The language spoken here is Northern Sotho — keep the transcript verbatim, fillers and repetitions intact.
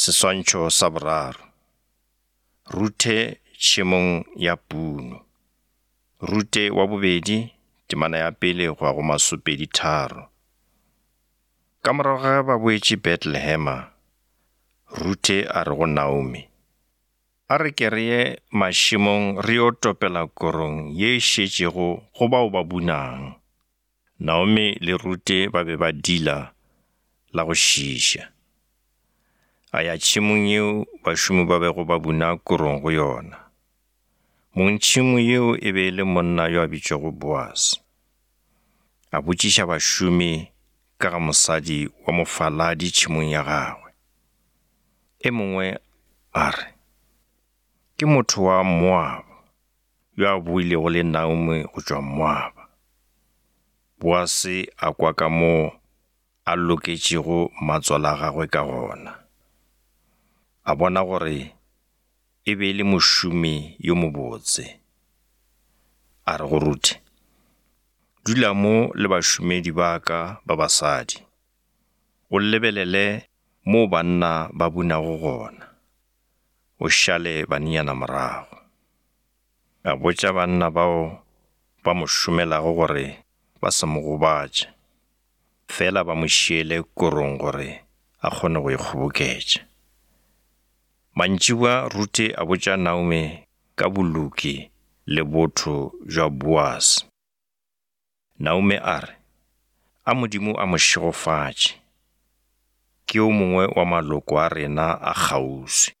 Seswantšho sa boraro. Ruthe tšhemong ya puno. Rute wa bobedi, temana ya pele go ya go masopedi tharo. Ka morago ga ba boetše Bethlehema, Ruthe a re go Naomi, a re ke re ye mašemong re yo topela korong ye e šetšego go bao ba bunang. Naomi le Rute ba be ba dila la go šiiša. A ya tšhemong yeo bašomi ba bego ba buna korong go yona. Mongtšhemo yeo e be e le monna yo a bitšwago Boase. A botšiša bašomi ka ga mosadi wa mofaladi tšhemong ya gagwe. E mongwe a re, ke motho wa Moaba yo a boilego le Naomi go tšwa Moaba. Boase a kwa ka moo a loketšego matswala a gagwe ka gona. A bona gore e be e le mošomi yo mobotse. A re go Ruthe, dula mo le bašomedi ba ka ba basadi, o lebelele mo banna ba bunago gona, o šale banenyana morago. A botša banna bao ba mo šomelago gore ba se mo gobatše, fela ba mo šiele korong gore a kgone go e kgoboketša. Mantšiboa Ruthe a botša Naomi ka boloki le botho bja Boase. Naomi a re, a Modimo a mo šegofatše, ke yo mongwe wa maloko a rena a kgauswi.